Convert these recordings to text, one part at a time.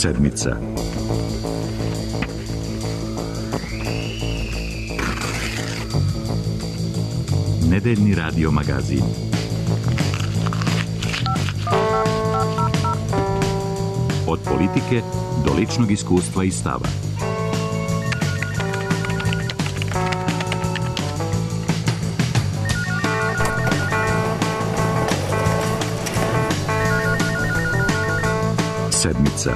Sedmica. Nedeljni radio magazin. Od politike do ličnog iskustva i stava. Sedmica.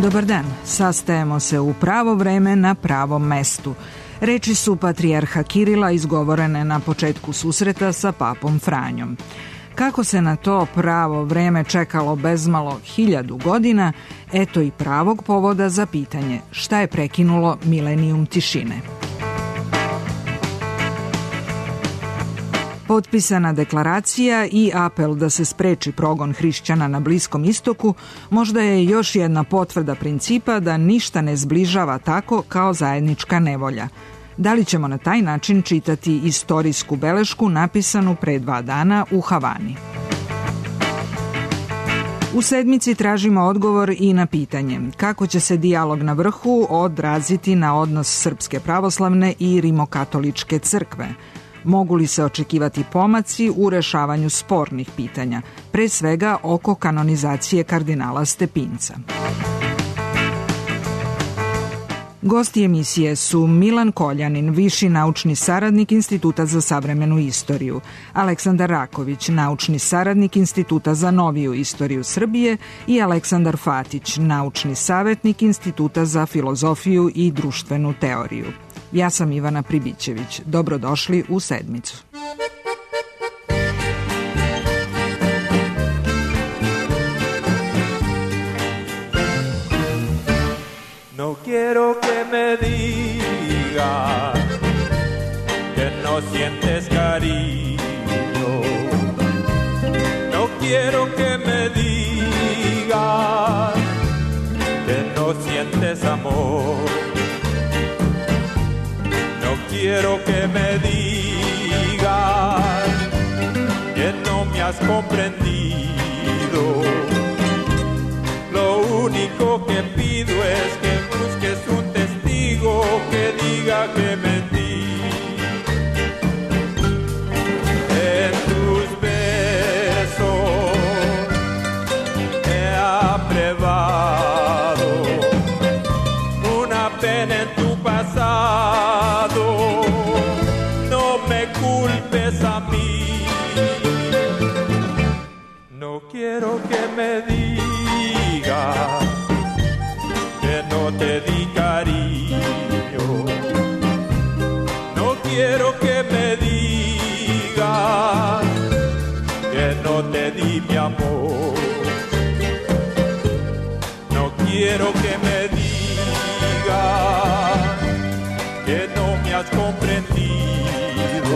Dobar dan, sastajemo se u pravo vreme na pravom mestu. Reči su patrijarha Kirila izgovorene na početku susreta sa papom Franjom. Kako se na to pravo vreme čekalo bezmalo 1000 godina, eto i pravog povoda za pitanje šta je prekinulo milenijum tišine. Potpisana deklaracija i apel da se spreči progon hrišćana na Bliskom istoku možda je još jedna potvrda principa da ništa ne zbližava tako kao zajednička nevolja. Da li ćemo na taj način čitati istorijsku belešku napisanu pre 2 dana u Havani? U sedmici tražimo odgovor i na pitanje kako će se dijalog na vrhu odraziti na odnos Srpske pravoslavne i Rimokatoličke crkve. Mogu li se očekivati pomaci u rešavanju spornih pitanja, pre svega oko kanonizacije kardinala Stepinca? Gosti emisije su Milan Koljanin, viši naučni saradnik Instituta za savremenu istoriju, Aleksandar Raković, naučni saradnik Instituta za noviju istoriju Srbije i Aleksandar Fatić, naučni savetnik Instituta za filozofiju i društvenu teoriju. Ja sam Ivana Pribićević. Dobrodošli u sedmicu. No quiero que me digas que no sientes cariño. No quiero que me digas que no sientes amor. No quiero que me digas que no me has comprendido. Lo único que pido es que busques un testigo que diga que mentí. En tus besos he abrevado una pena en tu pasado. No me culpes a mí. No quiero que me digas que no te di cariño. No quiero que me digas que no te di mi amor. No quiero que me digas que no me has comprendido.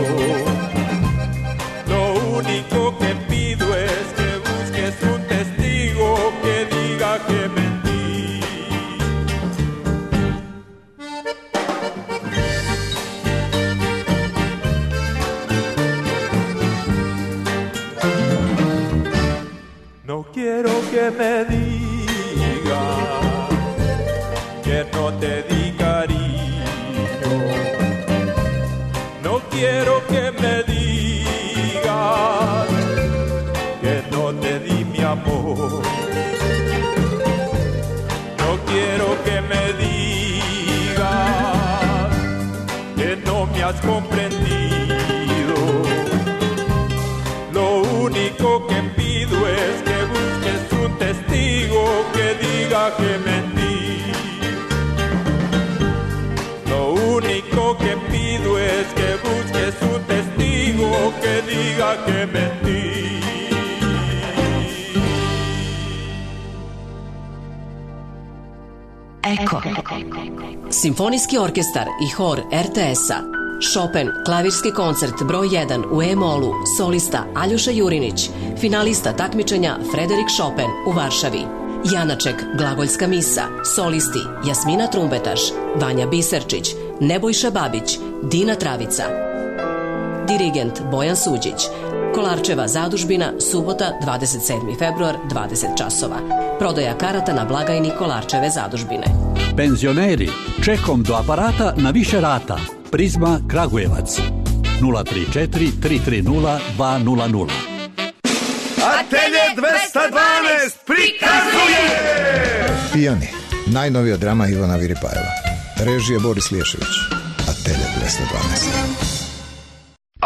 Lo único que pido es que busques un testigo que diga que mentí. No quiero que me digas que no te di cariño. No quiero que me digas que no te di mi amor. No quiero que me digas que no me has comprendido. Lo único que pido es que busques un testigo que diga que mentí. Lo único que pido es que busques un testigo que diga que mentí. Eko. Simfonijski orkestar i hor RTS-a. Chopin, klavirski koncert broj 1 u E-molu, solista Aljoša Jurinić, finalista takmičenja Frederik Chopin u Varšavi. Janaček, glagoljska misa, solisti Jasmina Trumbetaš, Vanja Biserčić, Nebojša Babić, Dina Travica. dirigent Bojan Suđić. Kolarčeva zadužbina, subota, 27. februar, 20 časova. Prodaja karata na blagajni Kolarčeve zadužbine. Penzioneri, čekom do aparata na više rata. Prizma Kragujevac. 034 330 200. Atelje 212 prikazuje! Pijani, najnovija drama Ivana Viripajeva. Režija Boris Liješević. Atelje 212.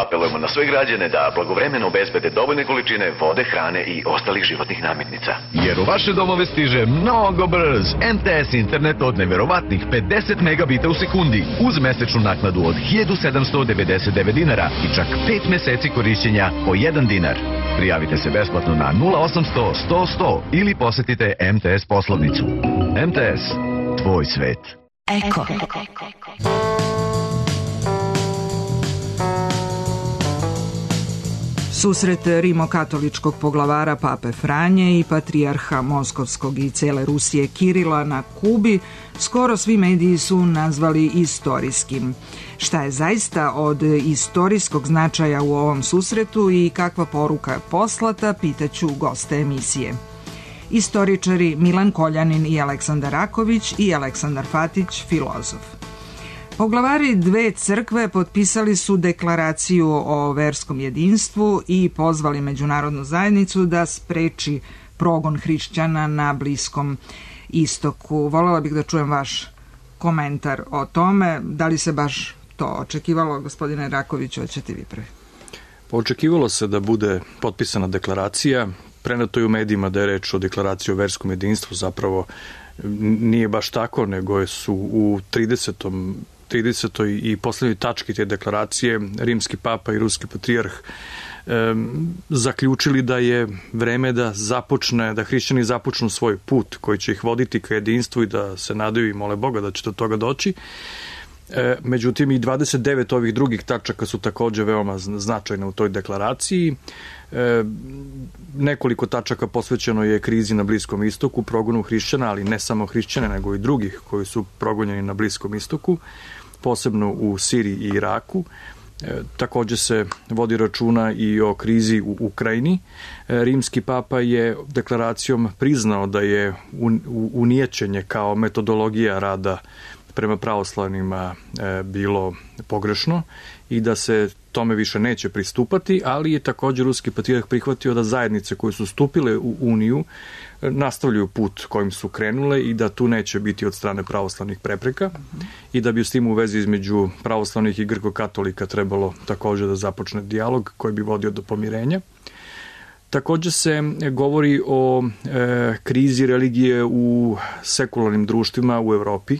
Apelujemo na sve građane da blagovremeno obezbede dovoljne količine vode, hrane i ostalih životnih namirnica. Jer u vaše domove stiže mnogo brz MTS internet od neverovatnih 50 megabita u sekundi uz mesečnu naknadu od 1799 dinara i čak 5 meseci korišćenja po 1 dinar. Prijavite se besplatno na 0800 100 100 ili posetite MTS poslovnicu. MTS, tvoj svet. Eko. Susret rimokatoličkog poglavara Pape Franje i patrijarha Moskovskog i cele Rusije Kirila na Kubi skoro svi mediji su nazvali istorijskim. Šta je zaista od istorijskog značaja u ovom susretu i kakva poruka je poslata, pitaću goste emisije. Istoričari Milan Koljanin i Aleksandar Raković i Aleksandar Fatić, filozof. Poglavari dve crkve potpisali su deklaraciju o verskom jedinstvu i pozvali međunarodnu zajednicu da spreči progon hrišćana na Bliskom istoku. Voljela bih da čujem vaš komentar o tome. Da li se baš to očekivalo, gospodine Rakoviću, hoćete vi prvi? Očekivalo se da bude potpisana deklaracija. Preneto je u medijima da je reč o deklaraciji o verskom jedinstvu, zapravo nije baš tako, nego su u 30. i poslednjoj tački te deklaracije rimski papa i ruski patrijarh zaključili da je vreme da hrišćani započnu svoj put koji će ih voditi ka jedinstvu i da se nadaju i mole Boga da će do toga doći. Međutim, i 29 ovih drugih tačaka su takođe veoma značajne u toj deklaraciji. Nekoliko tačaka posvećeno je krizi na Bliskom istoku, progonu hrišćana, ali ne samo hrišćana, nego i drugih koji su progonjeni na Bliskom istoku, posebno u Siriji i Iraku. Takođe se vodi računa i o krizi u Ukrajini. Rimski papa je deklaracijom priznao da je unijećenje kao metodologija rada prema pravoslavnima bilo pogrešno i da se tome više neće pristupati, ali je također ruski patrijarh prihvatio da zajednice koje su stupile u Uniju nastavljaju put kojim su krenule i da tu neće biti od strane pravoslavnih prepreka i da bi s tim u vezi između pravoslavnih i grko-katolika trebalo također da započne dijalog koji bi vodio do pomirenja. Također se govori o krizi religije u sekularnim društvima u Evropi,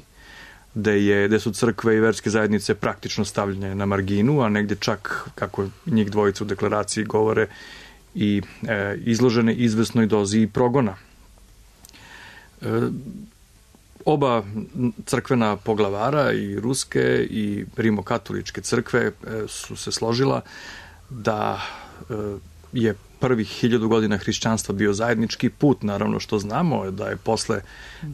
gde su crkve i verske zajednice praktično stavljene na marginu, a negdje čak, kako njih dvojica u deklaraciji govore, i izložene izvesnoj dozi progona. Oba crkvena poglavara, i ruske i rimokatoličke crkve, su se složila da je prvih 1000 godina hrišćanstva bio zajednički put, naravno što znamo je da je posle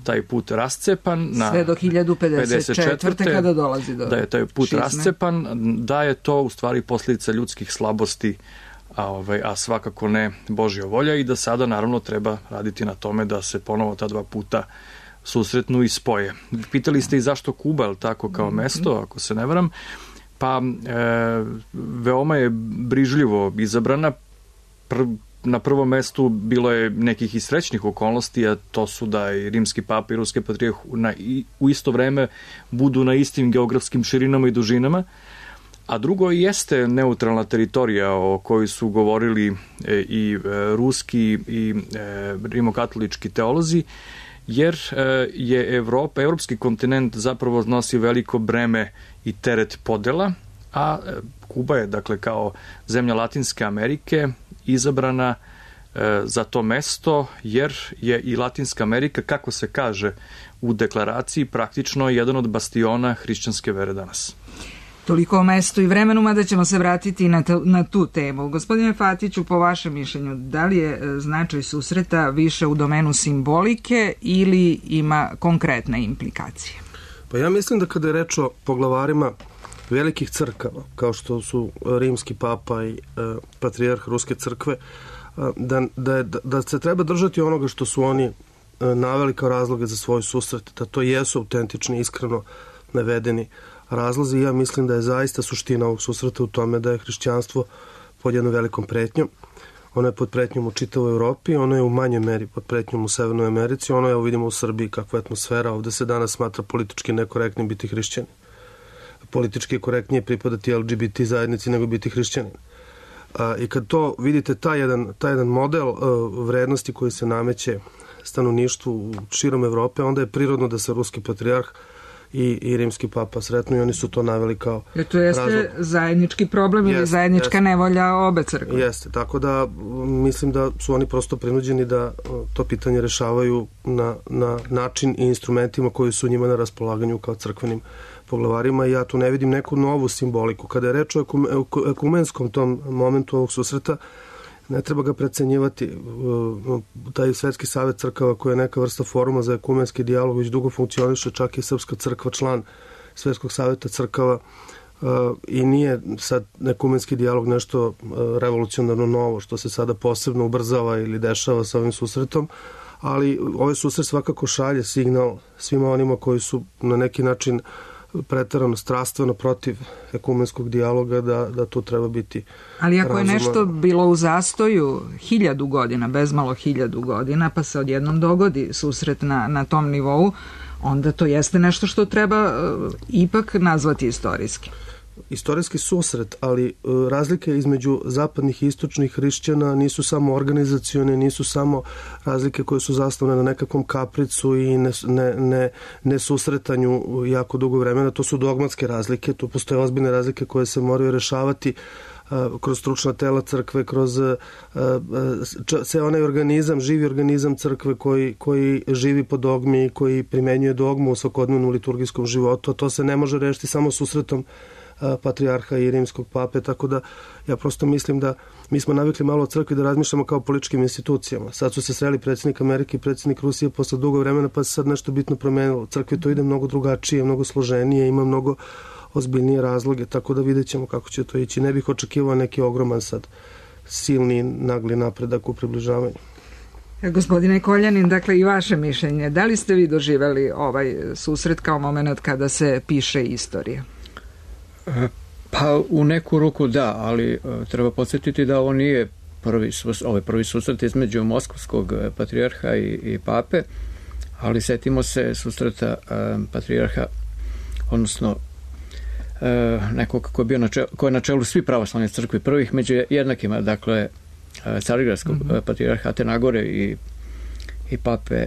taj put rascepan sve do 1054. kada dolazi do da je taj put šizme rascepan, da je to u stvari posljedica ljudskih slabosti, a svakako ne Božja volja, i da sada naravno treba raditi na tome da se ponovo ta dva puta susretnu i spoje. Pitali ste i zašto Kuba, je tako, kao mesto, ako se ne varam, pa veoma je brižljivo izabrana. Na prvom mestu bilo je nekih i srećnih okolnosti, a to su da i rimski papa i ruski patrijarh u isto vreme budu na istim geografskim širinama i dužinama, a drugo jeste neutralna teritorija o kojoj su govorili i ruski i rimokatolički teolozi, jer je evropski kontinent zapravo nosi veliko breme i teret podela, a Kuba je, dakle, kao zemlja Latinske Amerike izabrana za to mesto, jer je i Latinska Amerika, kako se kaže u deklaraciji, praktično jedan od bastiona hrišćanske vere danas. Toliko o mestu i vremenu, mada ćemo se vratiti na tu temu. Gospodine Fatiću, po vašem mišljenju, da li je značaj susreta više u domenu simbolike ili ima konkretne implikacije? Pa ja mislim da kada je reč o poglavarima velikih crkava, kao što su rimski papa i patrijarh Ruske crkve, da se treba držati onoga što su oni naveli kao razloge za svoj susret, da to jesu autentični, iskreno navedeni razlozi. Ja mislim da je zaista suština ovog susreta u tome da je hrišćanstvo pod jednom velikom pretnjom. Ono je pod pretnjom u čitavoj Evropi, ono je u manjoj meri pod pretnjom u Severnoj Americi, ono je, vidimo u Srbiji kakva je atmosfera, ovde se danas smatra politički nekorektnim biti hrišćanin. Politički je korektnije pripadati LGBT zajednici nego biti hrišćanin. I kad to vidite, taj jedan model vrednosti koji se nameće stanovništvu širom Evrope, onda je prirodno da se ruski patrijarh i rimski papa sretnu i oni su to naveli kao razlog. To jeste zajednički problem ili zajednička nevolja obe crkve. Jeste, tako da mislim da su oni prosto prinuđeni da to pitanje rešavaju na način i instrumentima koji su njima na raspolaganju kao crkvenim poglavarima i ja tu ne vidim neku novu simboliku. Kada je reč o ekumenskom tom momentu ovog susreta, ne treba ga precenjivati. Taj Svetski savet crkava koji je neka vrsta foruma za ekumenski dijalog već dugo funkcioniše, čak i Srpska crkva član Svetskog saveta crkava i nije sad ekumenski dijalog nešto revolucionarno novo što se sada posebno ubrzava ili dešava sa ovim susretom, ali ovaj susret svakako šalje signal svima onima koji su na neki način preterano strastveno protiv ekumenskog dijaloga da tu treba biti ali ako je nešto bilo u zastoju 1000 godina, bezmalo 1000 godina, pa se odjednom dogodi susret na tom nivou, onda to jeste nešto što treba ipak nazvati istorijski. Istorijski susret, ali razlike između zapadnih i istočnih hrišćana nisu samo organizacione, nisu samo razlike koje su zasnovane na nekakvom kapricu i ne susretanju jako dugo vremena, to su dogmatske razlike, tu postoje ozbiljne razlike koje se moraju rešavati kroz stručna tela crkve, kroz sve onaj organizam, živi organizam crkve koji živi po dogmi, koji primenjuje dogmu u svakodnevnom liturgijskom životu, a to se ne može rešiti samo susretom patrijarha i rimskog pape, tako da ja prosto mislim da mi smo navikli malo od crkvi da razmišljamo kao političkim institucijama. Sad su se sreli predsjednik Amerike i predsjednik Rusije posle dugo vremena, pa se sad nešto bitno promenilo. U crkvi to ide mnogo drugačije, mnogo složenije, ima mnogo ozbiljnije razloge, tako da vidjet ćemo kako će to ići. Ne bih očekivao neki ogroman sad silni nagli napredak u približavanju. Gospodine Koljanin, dakle i vaše mišljenje, da li ste vi doživeli ovaj susret kao moment kada se piše istorija? Pa u neku ruku da, ali treba podsjetiti da ovo nije prvi susret između moskovskog patrijarha i pape, ali setimo se susreta patrijarha, odnosno nekog ko je na čelu svi pravoslavne crkve prvih među jednakima, dakle Carigradskog patrijarha Atenagore i pape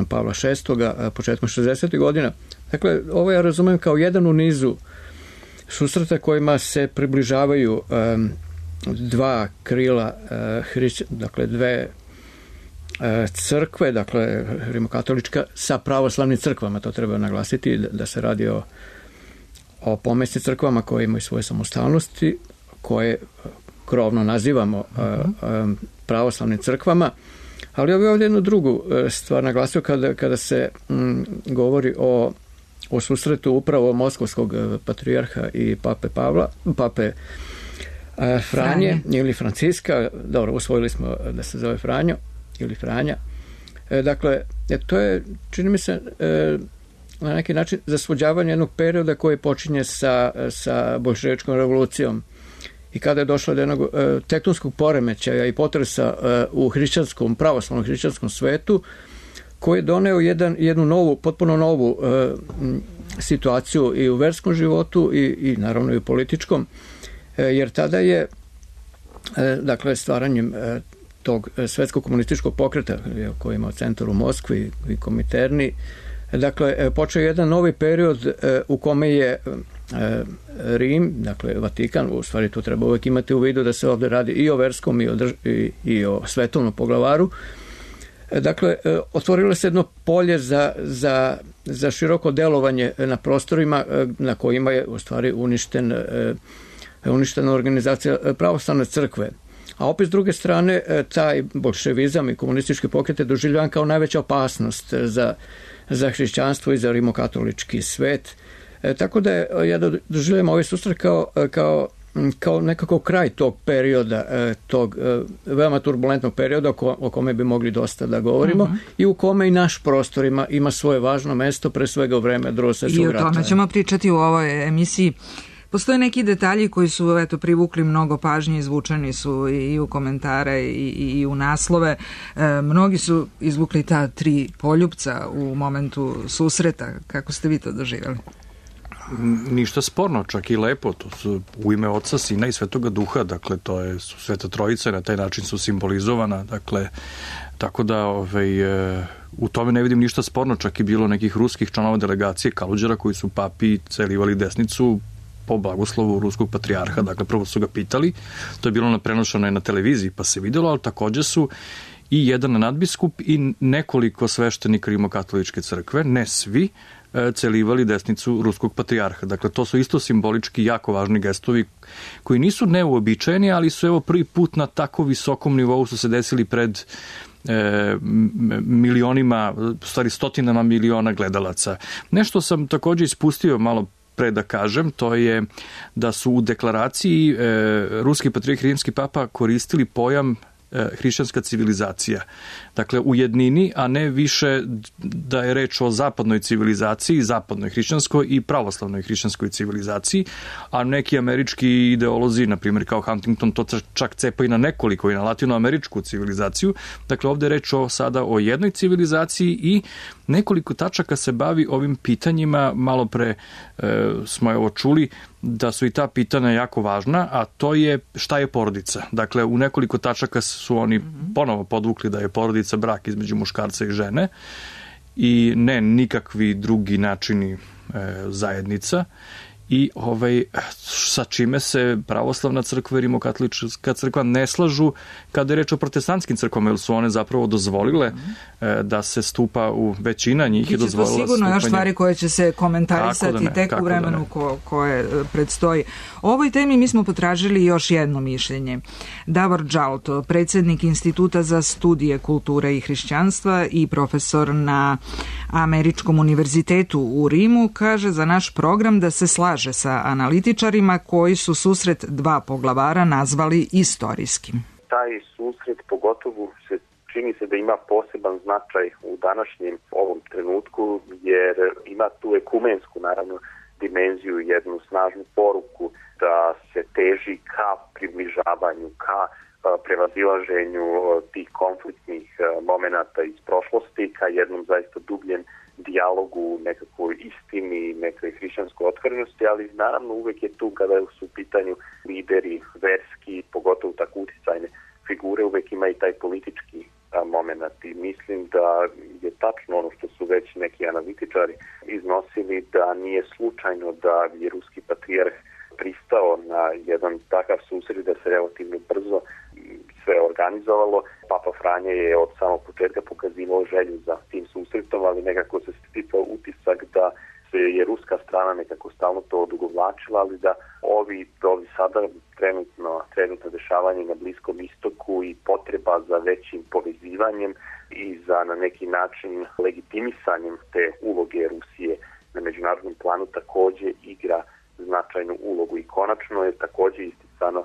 Pavla VI početkom 60. godina. Dakle, ovo ja razumem kao jedan u nizu susreta kojima se približavaju dva krila dakle dve crkve, dakle rimokatolička sa pravoslavnim crkvama, to treba naglasiti da se radi o pomesnim crkvama koje imaju svoje samostalnosti, koje krovno nazivamo pravoslavnim crkvama, ali ovdje jednu drugu stvar naglasio kada se govori o susretu upravo moskovskog patrijarha i pape Franje ili Franciska, dobro, usvojili smo da se zove Franjo ili Franja. Dakle, to je, čini mi se, na neki način zasvođavanje jednog perioda koji počinje sa boljševičkom revolucijom i kada je došlo do jednog tektonskog poremećaja i potresa u pravoslavnom hrišćanskom svetu, koji je doneo jednu novu, potpuno novu situaciju i u verskom životu i naravno i u političkom, jer tada je dakle stvaranjem tog svetskog komunističkog pokreta koji ima centar u Moskvi i Komiterni, dakle počeo jedan novi period u kome je Rim, dakle Vatikan, u stvari tu treba uvijek imati u vidu da se ovdje radi i o verskom i o svetovnom poglavaru. Dakle, otvorilo se jedno polje za široko delovanje na prostorima na kojima je u stvari uništena organizacija pravoslavne crkve. A opet s druge strane, taj bolševizam i komunistički pokret je doživljavan kao najveća opasnost za hrišćanstvo i za rimokatolički svet. Tako da ja doživljam ovaj susret kao nekako kraj tog perioda, tog veoma turbulentnog perioda o kome bi mogli dosta da govorimo i u kome i naš prostor ima svoje važno mesto, pre svega u vreme Drugog svjetskog rata. I o tome ćemo pričati u ovoj emisiji. Postoje neki detalji koji su privukli mnogo pažnje, izvučeni su i u komentare i u naslove. Mnogi su izvukli ta 3 poljupca u momentu susreta. Kako ste vi to doživjeli? Ništa sporno, čak i lepo. To su u ime Oca, Sina i Svetoga Duha, dakle to je Sveta Trojica, na taj način su simbolizovana, dakle tako da u tome ne vidim ništa sporno, čak i bilo nekih ruskih članova delegacije Kaluđera koji su papi celivali desnicu po blagoslovu ruskog patrijarha, dakle prvo su ga pitali, to je bilo prenošeno na televiziji pa se videlo, ali takođe su i jedan nadbiskup i nekoliko sveštenika Rimokatoličke crkve, ne svi, celivali desnicu ruskog patrijarha. Dakle, to su isto simbolički jako važni gestovi koji nisu neuobičajeni, ali su prvi put na tako visokom nivou su se desili pred milionima, u stvari stotinama miliona gledalaca. Nešto sam takođe ispustio malo pre da kažem, to je da su u deklaraciji ruski patrijarh rimski papa koristili pojam hrišćanska civilizacija. Dakle, u jednini, a ne više da je reč o zapadnoj civilizaciji, zapadnoj hrišćanskoj i pravoslavnoj hrišćanskoj civilizaciji, a neki američki ideolozi, na primjer kao Huntington, to čak cepa i na nekoliko, i na latinoameričku civilizaciju. Dakle, ovde je reč sada o jednoj civilizaciji i nekoliko tačaka se bavi ovim pitanjima. Malo pre smo čuli da su i ta pitanja jako važna, a to je šta je porodica. Dakle, u nekoliko tačaka su oni ponovo podvukli da je porodica brak između muškarca i žene i ne nikakvi drugi načini zajednica. I sa čime se pravoslavna crkva i rimokatolička crkva ne slažu kada je reč o protestantskim crkvama, jer su one zapravo dozvolile da se stupa u većina njih i dozvolila stupanje. To sigurno još stvari koje će se komentarisati tek u vremenu koje predstoji. O ovoj temi mi smo potražili još jedno mišljenje. Davor Džalto, predsjednik Instituta za studije kulture i hrišćanstva i profesor na Američkom univerzitetu u Rimu, kaže za naš program da se slaže sa analitičarima koji su susret 2 poglavara nazvali istorijskim. Taj susret pogotovo čini se da ima poseban značaj u današnjem ovom trenutku, jer ima tu ekumensku naravno dimenziju, jednu snažnu poruku da se teži ka približavanju, ka prevazilaženju tih konfliktnih momenata iz prošlosti, ka jednom zaista dubljem dijalogu, nekakvoj istini, nekoj hrišćanskoj otvorenosti, ali naravno uvek je tu kada su u pitanju lideri verski, pogotovo tako uticajne figure, uvek ima i taj politički moment. I mislim da je tačno ono što su već neki analitičari iznosili, da nije slučajno da je ruski patrijarh pristao na jedan takav susret, da se relativno brzo sve organizovalo. Papa Franje je od samog početka pokazivao želju za tim susretom, ali nekako se sticao utisak da se je ruska strana nekako stalno to odugovlačila, ali da ovi sada trenutno dešavanje na Bliskom istoku i potreba za većim povezivanjem i za na neki način legitimisanjem te uloge Rusije na međunarodnom planu takođe igra značajnu ulogu. I konačno je takođe isticano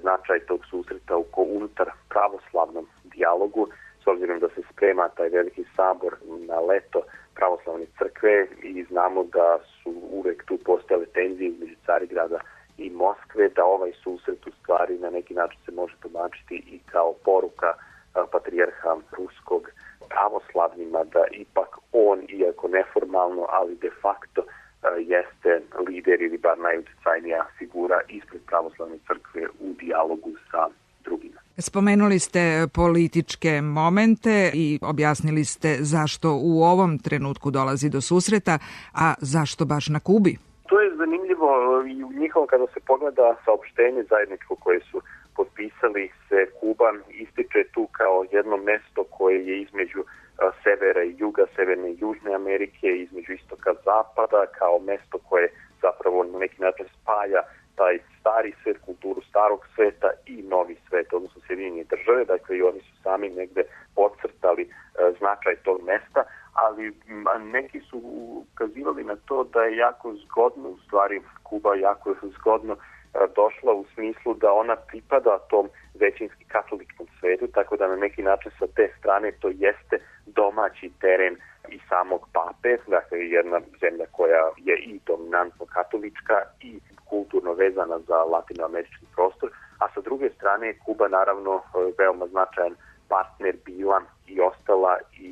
značaj tog susreta unutar pravoslavnom dijalogu, s obzirom da se sprema taj veliki sabor na leto pravoslavne crkve i znamo da su uvek tu postojale tenzije između Carigrada i Moskve, da ovaj susret u stvari na neki način se može tumačiti i kao poruka patrijarha ruskog pravoslavnima da ipak on, iako neformalno, ali de facto jeste lider ili bar najuticajnija figura ispred pravoslavne crkve u dijalogu sa drugima. Spomenuli ste političke momente i objasnili ste zašto u ovom trenutku dolazi do susreta, a zašto baš na Kubi? To je zanimljivo i u njihovom kada se pogleda saopštenje zajedničko koje su potpisali se, Kuba ističe tu kao jedno mesto koje je između severa i juga, severne i južne Amerike, između istoka i zapada, kao mesto koje zapravo na neki način spaja taj stari svet, kulturu starog sveta i novi svet, odnosno Sjedinjene države, dakle i oni su sami negde podcrtali značaj tog mesta, ali neki su ukazivali na to da je jako zgodno, u stvari Kuba jako zgodno došla u smislu da ona pripada tom većinski katoličkom svetu, tako da na neki način sa te strane to jeste domaći teren i samog pape, dakle jedna zemlja koja je i dominantno katolička i kulturno vezana za latinoamerički prostor, a sa druge strane je Kuba naravno veoma značajan partner bila i ostala i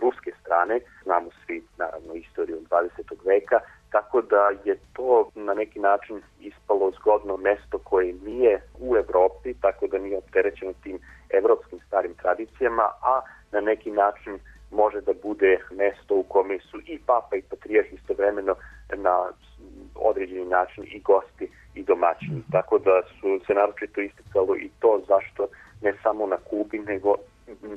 ruske strane, znamo svi naravno istoriju 20. veka, tako da je to na neki način ispalo zgodno mesto koje nije u Evropi, tako da nije opterećeno tim evropskim starim tradicijama, a na neki način može da bude mesto u kome su i papa i patrijarh istovremeno na određeni način i gosti i domaćini. Tako da su se naročito isticalo i to zašto ne samo na Kubi, nego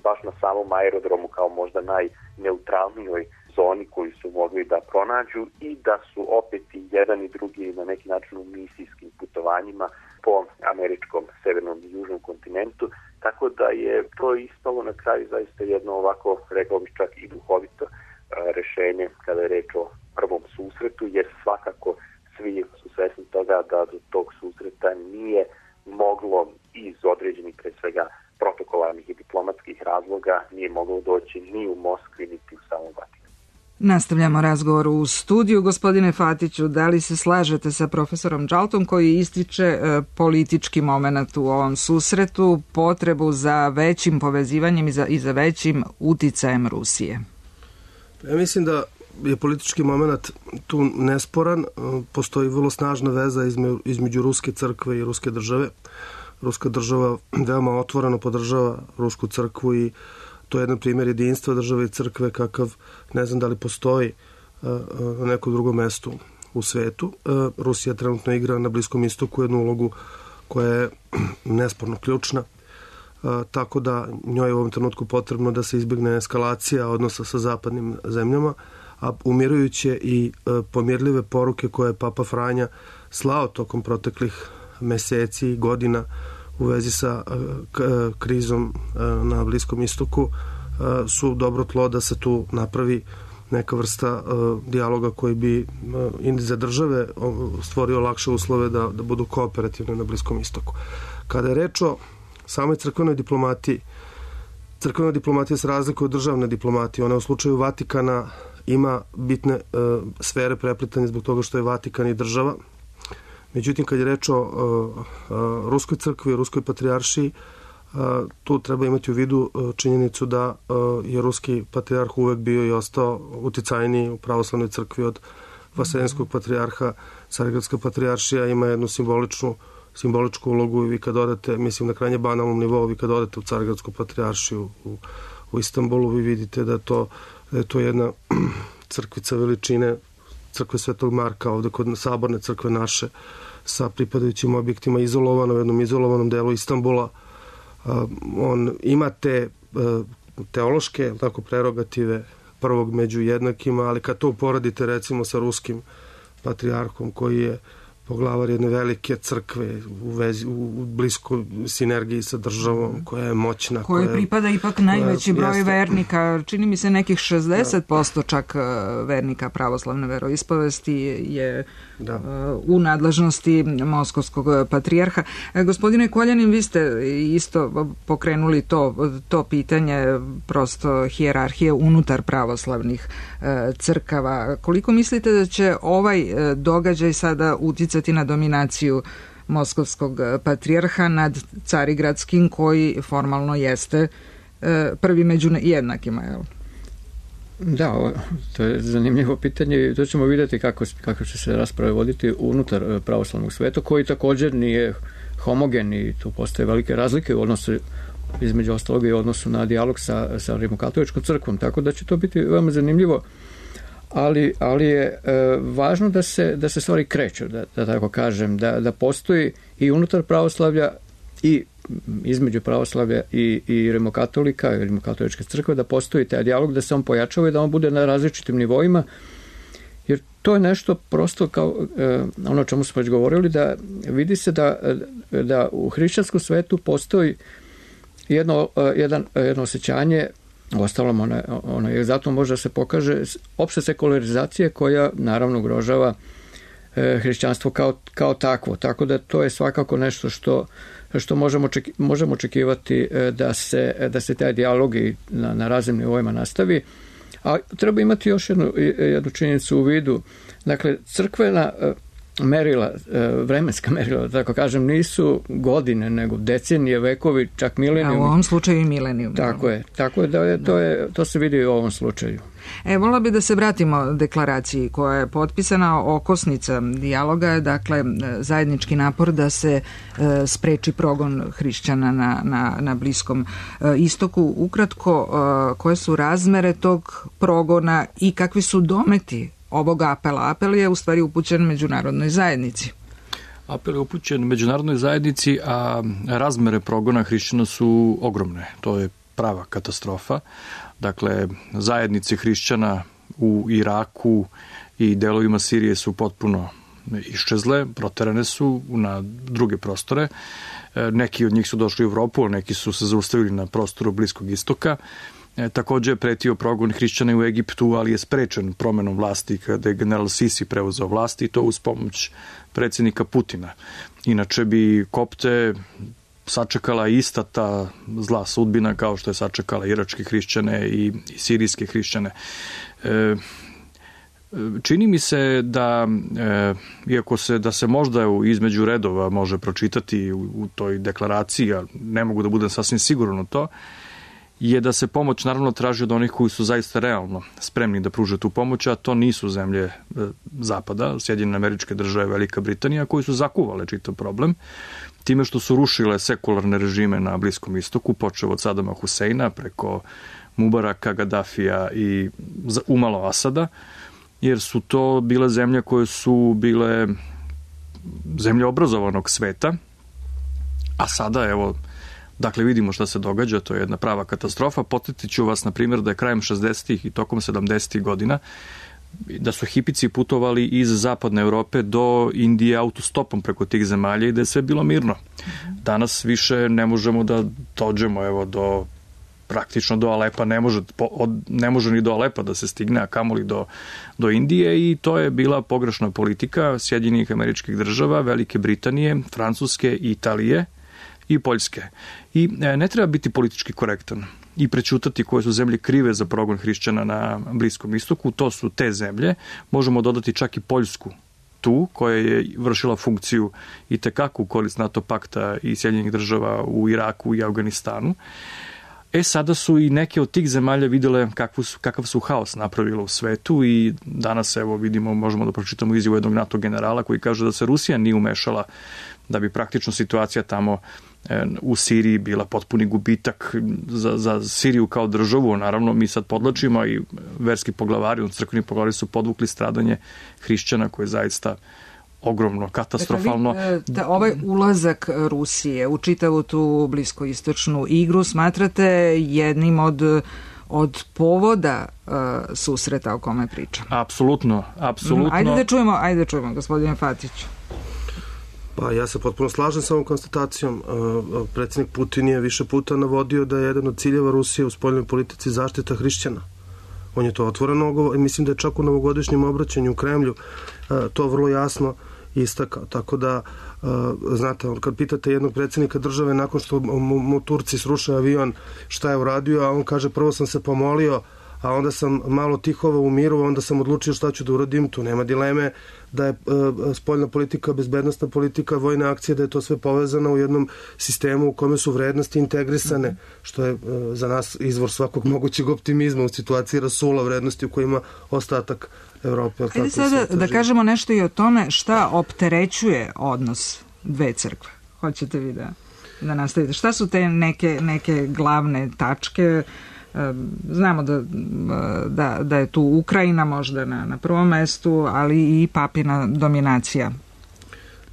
baš na samom aerodromu kao možda najneutralnijoj zoni koju su mogli da pronađu i da su opet i jedan i drugi na neki način u misijskim putovanjima po američkom severnom i južnom kontinentu, tako da je to ispalo na kraju zaista jedno ovako, rekao bih čak i duhovito rešenje kada je reč o prvom susretu, jer svakako svi su svesni toga da do tog susreta nije moglo iz određenih pre svega protokolarnih i diplomatskih razloga nije moglo doći ni u Moskvi niti u samom Vatikanu. Nastavljamo razgovor u studiju. Gospodine Fatiću, da li se slažete sa profesorom Džaltom koji ističe politički moment u ovom susretu, potrebu za većim povezivanjem i za većim uticajem Rusije? Ja mislim da je politički moment tu nesporan. Postoji vrlo snažna veza između Ruske crkve i Ruske države. Ruska država veoma otvoreno podržava Rusku crkvu i to je jedan primjer jedinstva države i crkve kakav ne znam da li postoji na nekom drugom mestu u svetu. Rusija trenutno igra na Bliskom istoku jednu ulogu koja je nesporno ključna, tako da njoj je u ovom trenutku potrebno da se izbjegne eskalacija odnosa sa zapadnim zemljama, a umirujuće i pomirljive poruke koje je Papa Franja slao tokom proteklih meseci i godina u vezi sa krizom na Bliskom istoku su dobro tlo da se tu napravi neka vrsta dijaloga koji bi i za države stvorio lakše uslove da budu kooperativne na Bliskom istoku. Kada je reč o samoj crkvenoj diplomatiji, crkvena diplomatija se razlikuje od državne diplomatije. Ona u slučaju Vatikana ima bitne sfere preplitanja zbog toga što je Vatikan i država. Međutim, kad je reč o Ruskoj crkvi i Ruskoj patrijaršiji, tu treba imati u vidu činjenicu da je Ruski patrijarh uvek bio i ostao uticajniji u pravoslavnoj crkvi od Vaseljenskog patrijarha. Carigradska patrijaršija ima jednu simboličku ulogu i vi kad odete, mislim na krajnje banalnom nivou, vi kad odete u Carigradsku patrijaršiju u Istanbulu, vi vidite da je to jedna crkvica veličine crkve Svetog Marka, ovde kod saborne crkve naše, sa pripadajućim objektima izolovano u jednom izolovanom delu Istanbula. On ima te teološke prerogative prvog među jednakima, ali kad to uporadite recimo sa ruskim patrijarhom koji je poglavar jedne velike crkve u bliskoj sinergiji sa državom koja je moćna. Koja pripada ipak najveći broj vernika, čini mi se nekih 60% čak vernika pravoslavne veroispovesti je u nadležnosti Moskovskog patrijarha. Gospodine Koljanin, vi ste isto pokrenuli to pitanje prosto hijerarhije unutar pravoslavnih crkava. Koliko mislite da će ovaj događaj sada uticati na dominaciju Moskovskog patrijarha nad Carigradskim koji formalno jeste prvi među jednakima, jel? Da, to je zanimljivo pitanje i to ćemo vidjeti kako će se rasprave voditi unutar pravoslavnog sveta, koji također nije homogen i tu postoje velike razlike u odnosu između ostalog i u odnosu na dijalog sa Rimokatoličkom crkvom, tako da će to biti veoma zanimljivo. Ali je važno da se stvari kreću, da tako kažem, da postoji i unutar pravoslavlja i između pravoslavlja i rimokatolika i rimokatoličke crkve, da postoji taj dijalog, da se on pojačava i da on bude na različitim nivoima, jer to je nešto prosto kao ono o čemu smo već govorili, da vidi se da u hrišćanskom svetu postoji jedno osjećanje Uostalom, ona je zato može da se pokaže opšte sekularizacije koja naravno ugrožava hrišćanstvo kao takvo. Tako da to je svakako nešto što možemo očekivati da se taj dijalog na raznim nivoima nastavi. A treba imati još jednu činjenicu u vidu. Dakle, crkvena merila, vremenska merila, tako kažem, nisu godine, nego decenije, vekovi, čak milenijumi. A u ovom slučaju i milenijum. Tako je da to se vidi i u ovom slučaju. Volila bi da se vratimo deklaraciji koja je potpisana. Okosnica dijaloga je, dakle, zajednički napor da se spreči progon hrišćana na Bliskom istoku. Ukratko, koje su razmere tog progona i kakvi su dometi ovog apela? Apel je u stvari upućen međunarodnoj zajednici. Apel je upućen međunarodnoj zajednici, a razmere progona hrišćana su ogromne. To je prava katastrofa. Dakle, zajednice hrišćana u Iraku i delovima Sirije su potpuno iščezle, proterane su na druge prostore. Neki od njih su došli u Evropu, a neki su se zaustavili na prostoru Bliskog istoka. Takođe je pretio progon hrišćana u Egiptu, ali je sprečen promenom vlasti kada je general Sisi preuzeo vlast i to uz pomoć predsjednika Putina. Inače bi Kopte sačekala ista ta zla sudbina kao što je sačekala iračke hrišćane i sirijske hrišćane. Čini mi se da, iako da se možda između redova može pročitati u toj deklaraciji, a ne mogu da budem sasvim siguran u to, je da se pomoć naravno traži od onih koji su zaista realno spremni da pruže tu pomoć, a to nisu zemlje Zapada, Sjedinjene Američke Države, Velika Britanija, koji su zakuvale čitav problem, time što su rušile sekularne režime na Bliskom istoku, počev od Sadama Huseina preko Mubaraka, Gaddafija i umalo Asada, jer su to bile zemlje koje su bile zemlje obrazovanog sveta, a sada, evo, dakle, vidimo šta se događa, to je jedna prava katastrofa. Podsjetit ću vas, na primjer, da je krajem 60. i tokom 70. godina da su hipici putovali iz zapadne Evrope do Indije autostopom preko tih zemalja i da je sve bilo mirno. Danas više ne možemo da dođemo, evo, praktično do Alepa, ne može ni do Alepa da se stigne, a kamoli do Indije, i to je bila pogrešna politika Sjedinjenih Američkih Država, Velike Britanije, Francuske, Italije i Poljske. I ne treba biti politički korektan i prećutati koje su zemlje krive za progon hrišćana na Bliskom istoku. To su te zemlje. Možemo dodati čak i Poljsku tu, koja je vršila funkciju i tekako u korist NATO pakta i Sjedinjenih Država u Iraku i Afganistanu. Sada su i neke od tih zemalja videle kakav su haos napravila u svetu i danas, evo, vidimo, možemo da pročitamo izjavu jednog NATO generala koji kaže da se Rusija nije umešala, da bi praktično situacija tamo u Siriji bila potpuni gubitak za Siriju kao državu. Naravno, mi sad podlačimo i verski poglavari, crkveni poglavari su podvukli stradanje hrišćana koje je zaista ogromno, katastrofalno. Dakle, ovaj ulazak Rusije u čitavu tu bliskoistočnu igru smatrate jednim od povoda susreta o kome pričam? Apsolutno. Ajde da čujemo, gospodine Fatiću. Pa ja se potpuno slažem sa ovom konstatacijom. Predsjednik Putin je više puta navodio da je jedan od ciljeva Rusije u spoljnoj politici zaštita hrišćana. On je to otvoreno i mislim da je čak u novogodišnjem obraćanju u Kremlju to vrlo jasno istakao. Tako da, znate, kad pitate jednog predsjednika države nakon što mu Turci sruše avion šta je uradio, a on kaže prvo sam se pomolio, a onda sam malo tihovao u miru, onda sam odlučio šta ću da uradim. Tu nema dileme da je spoljna politika, bezbednostna politika, vojne akcije, da je to sve povezano u jednom sistemu u kome su vrednosti integrisane, što je za nas izvor svakog mogućeg optimizma u situaciji rasula vrednosti u kojima ostatak Evrope. Ajde sada da kažemo nešto i o tome šta opterećuje odnos dve crkve. Hoćete vi da nastavite? Šta su te neke glavne tačke? Znamo da je tu Ukrajina možda na prvom mestu, ali i papina dominacija.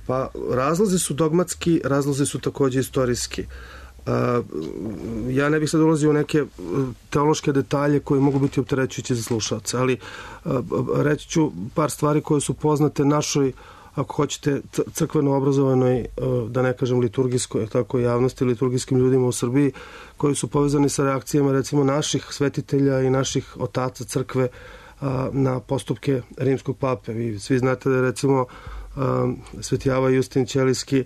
Pa razlozi su dogmatski, razlozi su takođe istorijski. Ja ne bih sad ulazio u neke teološke detalje koji mogu biti opterećujući za slušalce, ali reći ću par stvari koje su poznate našoj ako hoćete, crkveno obrazovanoj, da ne kažem liturgijskoj, tako javnosti, liturgijskim ljudima u Srbiji, koji su povezani sa reakcijama, recimo, naših svetitelja i naših otaca crkve na postupke rimskog pape. Vi svi znate da je, recimo, Sveti Java Justin Ćelijski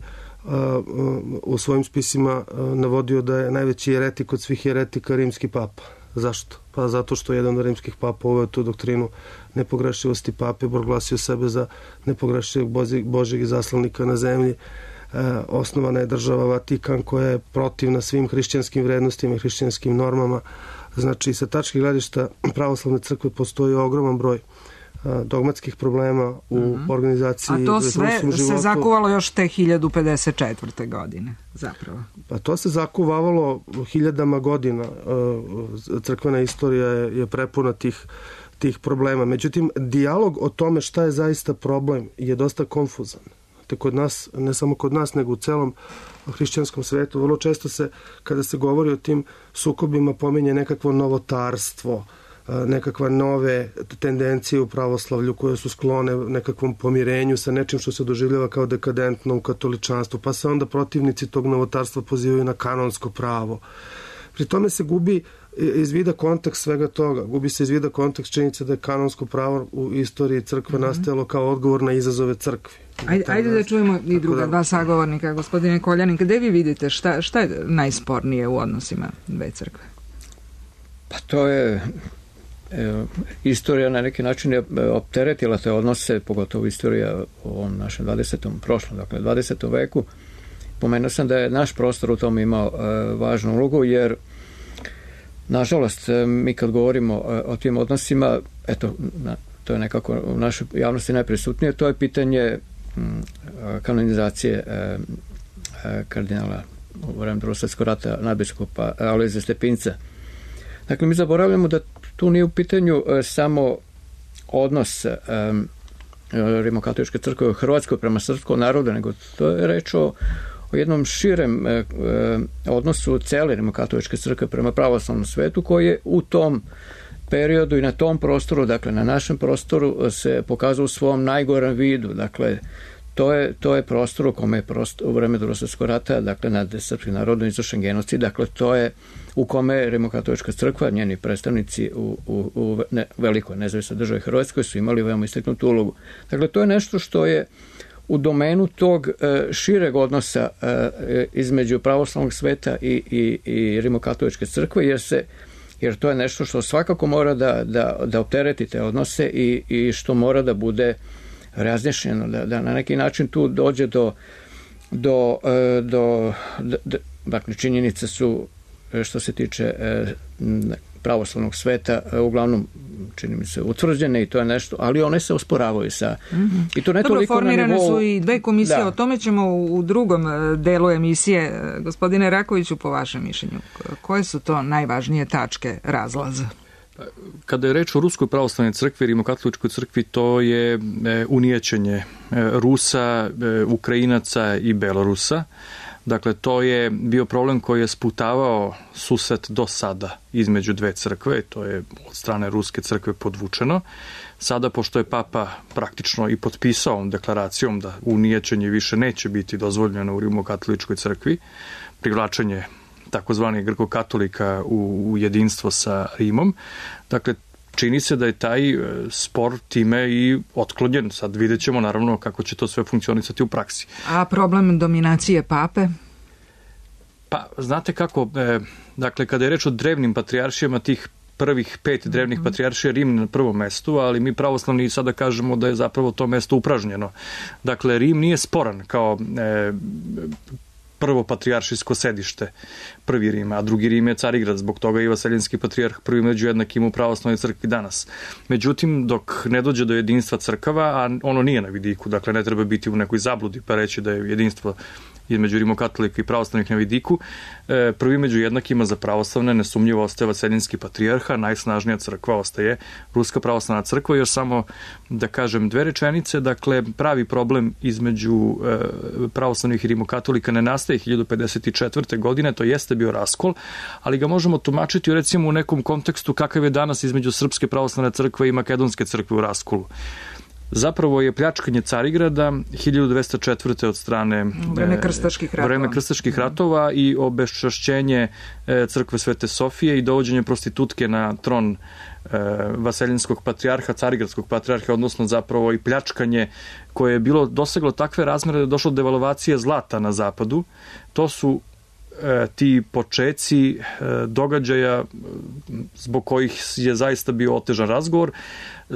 u svojim spisima navodio da je najveći jeretik od svih jeretika rimski papa. Zašto? Pa zato što jedan od rimskih papa uveo tu doktrinu nepogrešivosti pape, proglasio sebe za nepogrešivog Božjeg izaslanika na zemlji. Osnovana je država Vatikan koja je protivna svim hrišćanskim vrednostima i hrišćanskim normama. Znači, sa tačke gledišta pravoslavne crkve postoji ogroman broj dogmatskih problema u organizaciji. A to sve se zakuvalo još te 1054. godine, zapravo. Pa to se zakuvavalo hiljadama godina. Crkvena istorija je prepuna tih problema. Međutim, dijalog o tome šta je zaista problem je dosta konfuzan. Te kod nas, ne samo kod nas, nego u celom hrišćanskom svetu, vrlo često se, kada se govori o tim sukobima, pominje nekakvo novotarstvo, nekakva nove tendencije u pravoslavlju koje su sklone nekakvom pomirenju sa nečim što se doživljava kao dekadentno u katoličanstvu, pa se onda protivnici tog novotarstva pozivaju na kanonsko pravo. Pri tome se gubi iz vida kontekst svega toga. Gubi se iz vida kontekst činjenica da je kanonsko pravo u istoriji crkve nastajalo kao odgovor na izazove crkvi. Ajde da čujemo i druga dva sagovornika. Gospodine Koljanin, gde vi vidite šta je najspornije u odnosima dve crkve? Pa to je istorija na neki način je opteretila te odnose, pogotovo istorija u ovom našem 20. veku. Pomenuo sam da je naš prostor u tom imao važnu ulogu, jer nažalost mi kad govorimo o tim odnosima, eto, to je nekako u našoj javnosti najprisutnije, to je pitanje kanonizacije kardinala u vreme Drugog svjetskog rata nadbiskupa Alojzija Stepinca. Dakle, mi zaboravljamo da tu nije u pitanju samo odnos Rimokatoličke crkve u Hrvatskoj prema srpskom narodu, nego to je reč o jednom širem odnosu cele Rimokatoličke crkve prema pravoslavnom svetu, koji je u tom periodu i na tom prostoru, dakle na našem prostoru, se pokazao u svom najgorem vidu. Dakle, to je prostor u kome je u vreme Drugog svjetskog rata, dakle nad srpskim narodom izvršen genocid, dakle to je u kome Rimokatolička crkva, njeni predstavnici u velikoj nezavisnoj državi Hrvatskoj su imali veoma istaknutu ulogu. Dakle, to je nešto što je u domenu tog šireg odnosa između pravoslavnog sveta i Rimokatoličke crkve, jer to je nešto što svakako mora da optereti te odnose i što mora da bude razjašnjeno, da na neki način tu dođe dakle, činjenice su, što se tiče pravoslavnog sveta, uglavnom, čini mi se, utvrđene i to je nešto, ali one se osporavaju sa... I to ne toliko formirane na nivou... su i dve komisije, o tome ćemo u drugom delu emisije. Gospodine Rakoviću, po vašem mišljenju, koje su to najvažnije tačke razlaza? Kada je reč o Ruskoj pravoslavnoj crkvi, Rimokatoličkoj crkvi, to je unijećenje Rusa, Ukrajinaca i Belorusa. Dakle, to je bio problem koji je sputavao susret do sada između dve crkve, to je od strane Ruske crkve podvučeno. Sada, pošto je Papa praktično i potpisao ovom deklaracijom da unijećenje više neće biti dozvoljeno u Rimokatoličkoj crkvi, privlačenje takozvanih grkokatolika u jedinstvo sa Rimom. Dakle, čini se da je taj spor time i otklonjen. Sad vidjet ćemo naravno kako će to sve funkcionisati u praksi. A problem dominacije pape? Pa, znate kako, dakle, kada je reč o drevnim patrijaršijama, tih prvih 5 drevnih patrijaršija, Rim na prvom mestu, ali mi pravoslavni sada kažemo da je zapravo to mesto upražnjeno. Dakle, Rim nije sporan kao prvo patrijaršijsko sedište, prvi Rim, a drugi Rim je Carigrad, zbog toga i Vaseljenski patrijarh prvi među jednakim u pravoslavnoj crkvi danas. Međutim, dok ne dođe do jedinstva crkava, a ono nije na vidiku, dakle ne treba biti u nekoj zabludi pa reći da je jedinstvo između rimokatolika i pravoslavnih na vidiku, prvi među jednakima za pravoslavne nesumnjivo ostaje Vaseljenski patrijarha, najsnažnija crkva ostaje Ruska pravoslavna crkva, jer samo da kažem dve rečenice, dakle pravi problem između pravoslavnih i rimokatolika ne nastaje 1054. godine, to jeste bio raskol, ali ga možemo tumačiti recimo u nekom kontekstu kakav je danas između Srpske pravoslavne crkve i Makedonske crkve u raskolu. zapravo je pljačkanje Carigrada 1204. od strane vreme krstaških ratova i obeščašćenje crkve Svete Sofije i dovođenje prostitutke na tron vaseljenskog patrijarha, carigradskog patrijarha, odnosno zapravo i pljačkanje koje je bilo doseglo takve razmere da je došlo do devalvacije zlata na zapadu. To su ti počeci događaja zbog kojih je zaista bio otežan razgovor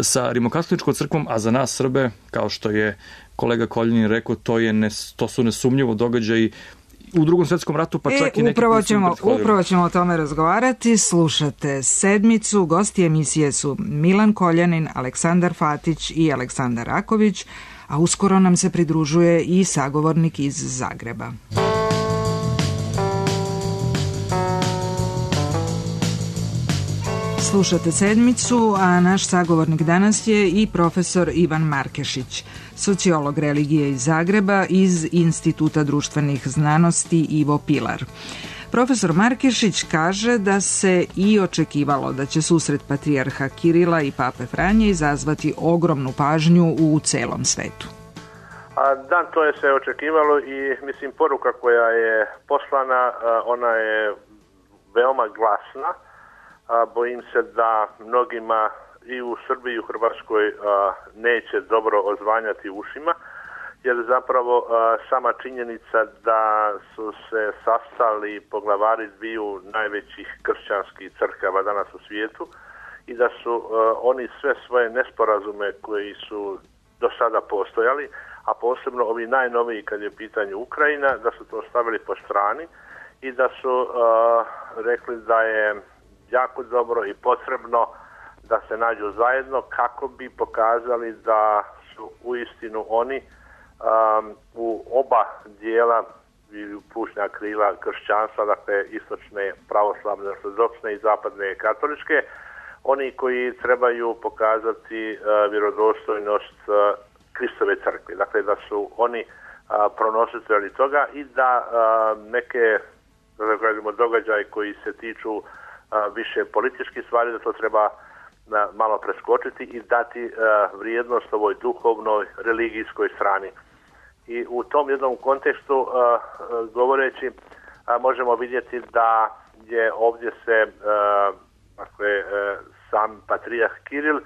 sa Rimokatoličkom crkvom, a za nas Srbe, kao što je kolega Koljanin rekao, to su nesumnjivo događaji u Drugom svjetskom ratu, pa čak i neki upravo ćemo o tome razgovarati. Slušate Sedmicu, gosti emisije su Milan Koljanin, Aleksandar Fatić i Aleksandar Raković, a uskoro nam se pridružuje i sagovornik iz Zagreba. Slušate Sedmicu, a naš sagovornik danas je i profesor Ivan Markešić, sociolog religije iz Zagreba iz Instituta društvenih znanosti Ivo Pilar. Profesor Markešić kaže da se i očekivalo da će susret patrijarha Kirila i pape Franje izazvati ogromnu pažnju u celom svetu. Da, to je se očekivalo i mislim poruka koja je poslana, ona je veoma glasna. Bojim se da mnogima i u Srbiji i u Hrvatskoj neće dobro odzvanjati ušima, jer zapravo sama činjenica da su se sastali poglavari dviju najvećih kršćanskih crkava danas u svijetu i da su oni sve svoje nesporazume koji su do sada postojali, a posebno ovi najnoviji kad je u pitanju Ukrajina, da su to stavili po strani i da su rekli da je jako dobro i potrebno da se nađu zajedno kako bi pokazali da su uistinu oni u oba dijela ili plućna krila kršćanstva, dakle istočne pravoslavne ortodoksne i zapadne katoličke, oni koji trebaju pokazati vjerodostojnost Kristove crkve. Dakle, da su oni pronositelji toga i da neke događaje koji se tiču više političkih stvari, da to treba malo preskočiti i dati vrijednost ovoj duhovnoj, religijskoj strani. I u tom jednom kontekstu govoreći možemo vidjeti da je ovdje se sam patrijarh Kiril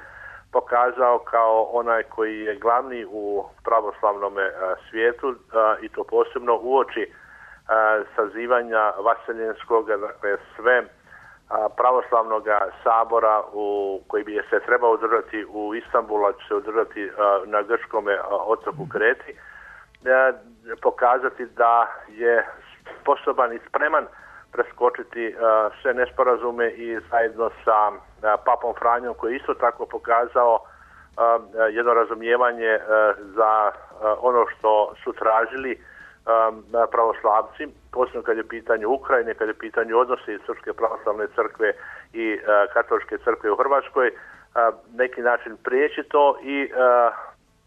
pokazao kao onaj koji je glavni u pravoslavnom svijetu i to posebno uoči sazivanja vaseljenskog, dakle sve pravoslavnog sabora koji bi se trebao održati u Istanbulu, će se održati na grčkom otoku Kreti, pokazati da je sposoban i spreman preskočiti sve nesporazume i zajedno sa papom Franjom koji je isto tako pokazao jedno razumijevanje za ono što su tražili pravoslavci, posebno kad je pitanje Ukrajine, kad je pitanje odnosi Srpske pravoslavne crkve i katoličke crkve u Hrvatskoj, neki način prijeći to i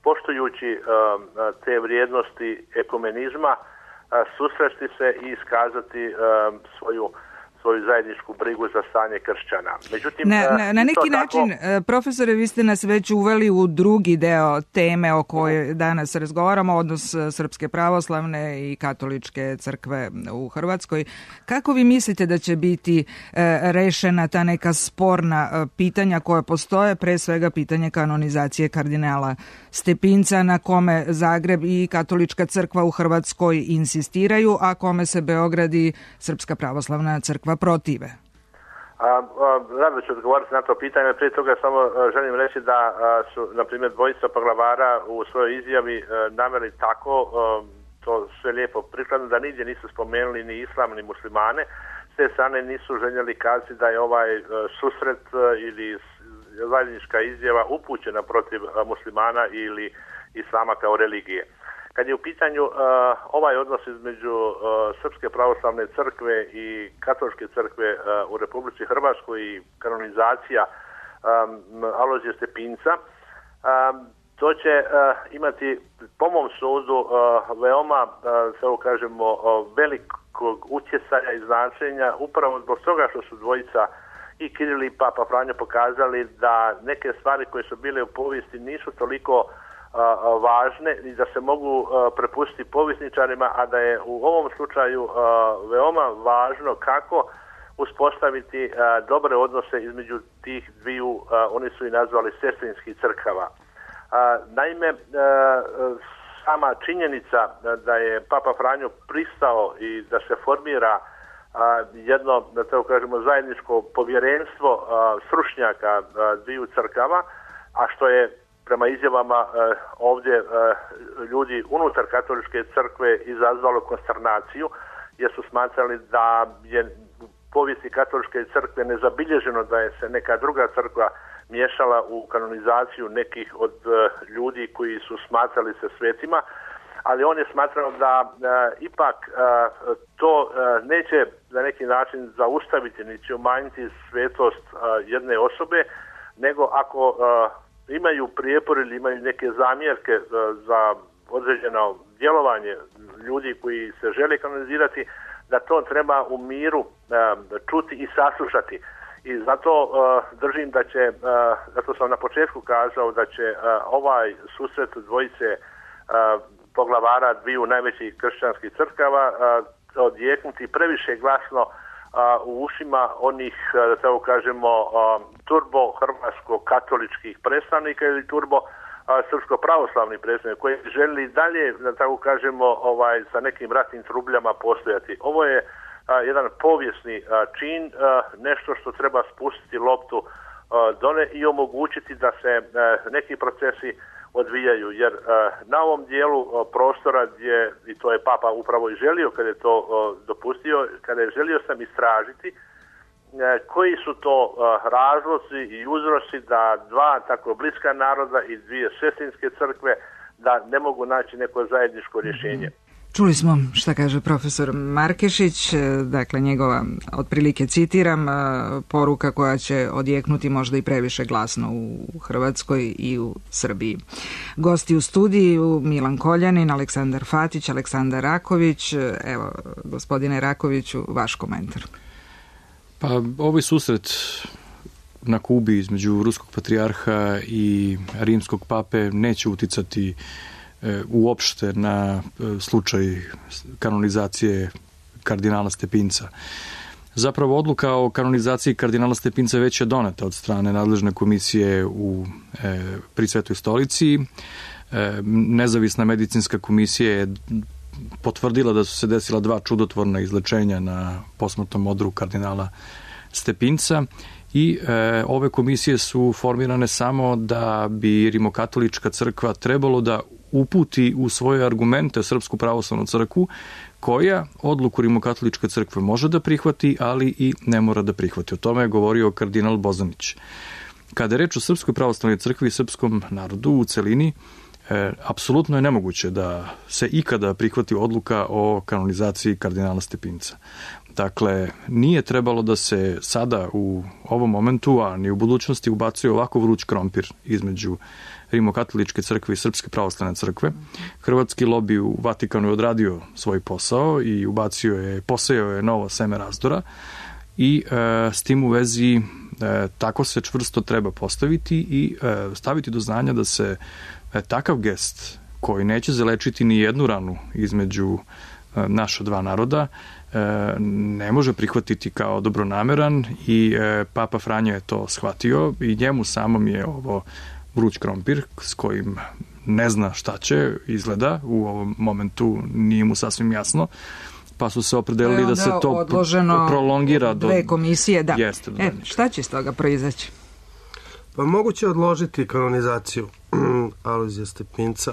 poštujući te vrijednosti ekumenizma susresti se i iskazati svoju zajedničku brigu za stanje kršćana. Međutim, na neki način, profesore, vi ste nas već uveli u drugi deo teme o kojoj danas razgovaramo, odnos Srpske pravoslavne i katoličke crkve u Hrvatskoj. Kako vi mislite da će biti rešena ta neka sporna pitanja koja postoje, pre svega pitanje kanonizacije kardinala Stepinca, na kome Zagreb i katolička crkva u Hrvatskoj insistiraju, a kome se Beograd i Srpska pravoslavna crkva protive? Rado ću odgovoriti na to pitanje. Prije toga samo želim reći da su, na primjer, dvojica poglavara u svojoj izjavi naveli tako, to sve lijepo prikladno, da nigdje nisu spomenuli ni islam ni muslimane. S te strane nisu željeli kazati da je ovaj susret ili zajednička izjava upućena protiv muslimana ili islama kao religije. Kad je u pitanju ovaj odnos između Srpske pravoslavne crkve i katoličke crkve u Republici Hrvatskoj i kanonizacija Alojzija Stepinca, to će imati, po mom sudu, veoma, tako kažemo, velikog utjecaja i značenja, upravo zbog toga što su dvojica i Kiril i Papa Franjo pokazali da neke stvari koje su bile u povijesti nisu toliko važne i da se mogu prepustiti povjesničarima, a da je u ovom slučaju veoma važno kako uspostaviti dobre odnose između tih dviju, oni su i nazvali sestrinskih crkava. Naime, sama činjenica da je Papa Franjo pristao i da se formira jedno, da tako kažemo, zajedničko povjerenstvo stručnjaka dviju crkava, a što je prema izjavama ovdje ljudi unutar katoličke crkve izazvalo konsternaciju, jer su smatrali da je u povijesti katoličke crkve nezabilježeno da je se neka druga crkva miješala u kanonizaciju nekih od ljudi koji su smatrali se svetima, ali on je smatrao da ipak to neće na neki način zaustaviti niti umanjiti svetost jedne osobe, nego ako imaju prijepor ili imaju neke zamjerke za određeno djelovanje ljudi koji se žele kanonizirati, da to treba u miru čuti i saslušati. I zato držim da će, zato sam na početku kazao da će ovaj susret dvojice poglavara dviju najvećih kršćanskih crkava odjeknuti previše glasno u ušima onih, da tako kažemo, turbo hrvatsko-katoličkih predstavnika ili turbo srpsko-pravoslavnih predstavnika koji želi dalje, da tako kažemo, sa nekim ratnim trubljama postojati. Ovo je jedan povijesni čin, nešto što treba spustiti loptu dole i omogućiti da se neki procesi odvijaju, jer na ovom dijelu prostora gdje, i to je Papa upravo i želio kada je to dopustio, kada je želio sam istražiti koji su to razlozi i uzroci da dva tako bliska naroda i dvije sestrinske crkve da ne mogu naći neko zajedničko rješenje. Čuli smo šta kaže profesor Markešić, dakle njegova, otprilike citiram, poruka koja će odjeknuti možda i previše glasno u Hrvatskoj i u Srbiji. Gosti u studiju Milan Koljanin, Aleksandar Fatić, Aleksandar Raković. Evo, gospodine Rakoviću, vaš komentar. Pa ovaj susret na Kubi između ruskog patrijarha i rimskog pape neće uticati uopšte na slučaj kanonizacije kardinala Stepinca. Zapravo odluka o kanonizaciji kardinala Stepinca već je doneta od strane nadležne komisije pri Svetoj stolici. Nezavisna medicinska komisija je potvrdila da su se desila dva čudotvorna izlečenja na posmrtnom odru kardinala Stepinca i ove komisije su formirane samo da bi rimokatolička crkva trebalo da uputi u svoje argumente Srpsku pravoslavnu crkvu, koja odluku rimokatoličke crkve može da prihvati, ali i ne mora da prihvati. O tome je govorio kardinal Bozanić. Kada je reč o Srpskoj pravoslavnoj crkvi i srpskom narodu u celini, apsolutno je nemoguće da se ikada prihvati odluka o kanonizaciji kardinala Stepinca. Dakle, nije trebalo da se sada u ovom momentu, a ni u budućnosti ubacuje ovako vruć krompir između rimokatoličke crkve i Srpske pravoslavne crkve. Hrvatski lobi u Vatikanu je odradio svoj posao i posejao je novo seme razdora i s tim u vezi tako se čvrsto treba postaviti i staviti do znanja da se takav gest koji neće zalečiti ni jednu ranu između naša dva naroda ne može prihvatiti kao dobronameran i Papa Franjo je to shvatio i njemu samom je ovo vruć krompir s kojim ne zna šta će, izgleda u ovom momentu nije mu sasvim jasno, pa su se opredelili da se to prolongira do dve komisije, da. Jeste, šta će iz toga proizaći? Pa moguće odložiti kanonizaciju Alojzija Stepinca.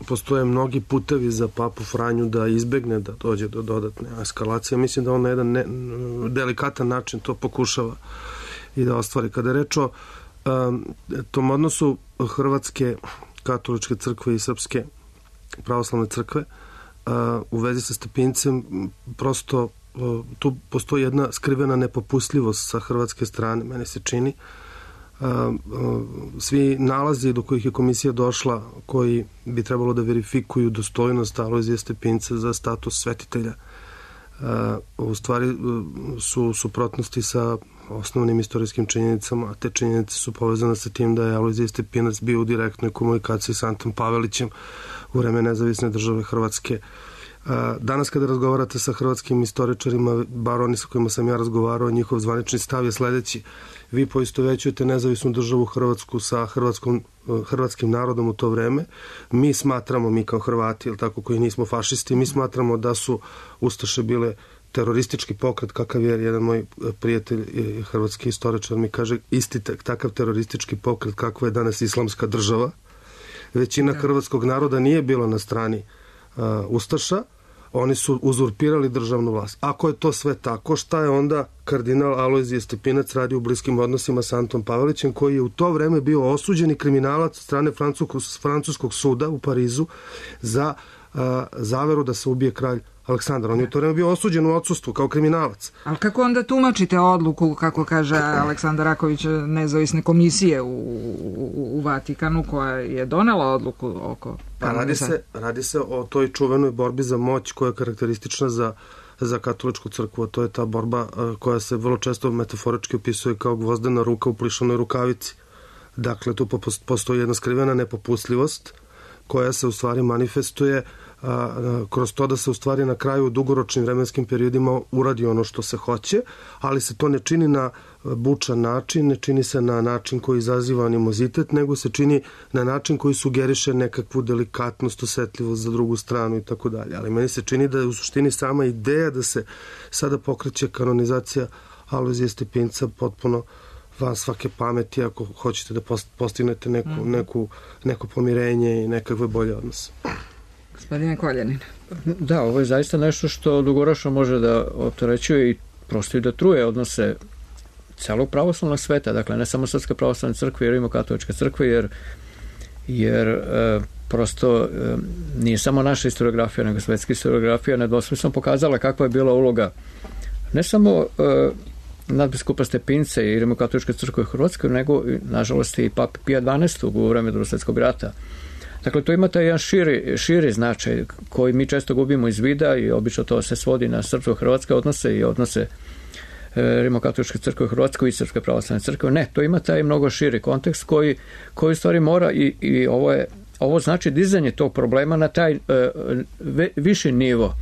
Postoje mnogi putevi za Papu Franju da izbegne da dođe do dodatne eskalacije. Mislim da on na jedan delikatan način to pokušava i da ostvari. Kada je reč o tom odnosu Hrvatske katoličke crkve i Srpske pravoslavne crkve u vezi sa Stepincem, prosto tu postoji jedna skrivena nepopustljivost sa hrvatske strane, meni se čini. Svi nalazi do kojih je komisija došla, koji bi trebalo da verifikuju dostojnost Alojzija Stepinca za status svetitelja, u stvari su suprotnosti sa osnovnim istorijskim činjenicama, a te činjenice su povezane sa tim da je Alojzije Stepinac bio u direktnoj komunikaciji sa Antom Pavelićem u vreme nezavisne države Hrvatske. Danas kada razgovarate sa hrvatskim istoričarima, bar oni sa kojima sam ja razgovarao, njihov zvanični stav je sledeći: vi poistovećujete nezavisnu državu Hrvatsku sa hrvatskim narodom u to vreme. Mi smatramo, mi kao Hrvati, ili tako, koji nismo fašisti, mi smatramo da su ustaše bile teroristički pokret, kakav je jedan moj prijatelj, hrvatski istoričar, mi kaže isti takav teroristički pokret kakva je danas islamska država. Većina hrvatskog naroda nije bila na strani ustaša, oni su uzurpirali državnu vlast. Ako je to sve tako, šta je onda kardinal Alojzije Stepinac radio u bliskim odnosima sa Antom Pavelićem, koji je u to vreme bio osuđeni kriminalac od strane francuskog suda u Parizu za zaveru da se ubije kralj Aleksandar. On je u to vreme bio osuđen u odsustvu kao kriminalac. Ali kako onda tumačite odluku, kako kaže Aleksandar Raković, nezavisne komisije u Vatikanu, koja je donela odluku oko... Radi se o toj čuvenoj borbi za moć koja je karakteristična za katoličku crkvu. To je ta borba koja se vrlo često metaforički opisuje kao gvozdena ruka u plišanoj rukavici. Dakle, tu postoji jedna skrivena nepopustljivost koja se u stvari manifestuje kroz to da se u stvari na kraju u dugoročnim vremenskim periodima uradi ono što se hoće, ali se to ne čini na bučan način, ne čini se na način koji izaziva animozitet, nego se čini na način koji sugeriše nekakvu delikatnost, osetljivost za drugu stranu i tako dalje. Ali meni se čini da je u suštini sama ideja da se sada pokreće kanonizacija Alojzije Stepinca potpuno van svake pameti ako hoćete da postignete neko pomirenje i nekakve bolje odnose. Gospodine Koljanin. Da, ovo je zaista nešto što dugoročno može da opterećuje i prosto i da truje odnose celog pravoslavnog sveta, dakle ne samo Srpske pravoslavne crkve i Rimokatoličke crkve, jer prosto nije samo naša historiografija, nego svetska historiografija nedvosmisleno pokazala kakva je bila uloga ne samo nadbiskupa Stepinca i Rimokatoličke crkve u Hrvatskoj, nego nažalost i Pape Pija XII u vreme Drugog svjetskog rata. Dakle, to ima taj jedan širi značaj koji mi često gubimo iz vida i obično to se svodi na srpsko-hrvatske odnose i odnose Rimokatoličke crkve u Hrvatskoj i Srpske pravoslavne crkve. Ne, to ima taj mnogo širi kontekst koji u stvari mora i ovo znači dizanje tog problema na taj viši nivo.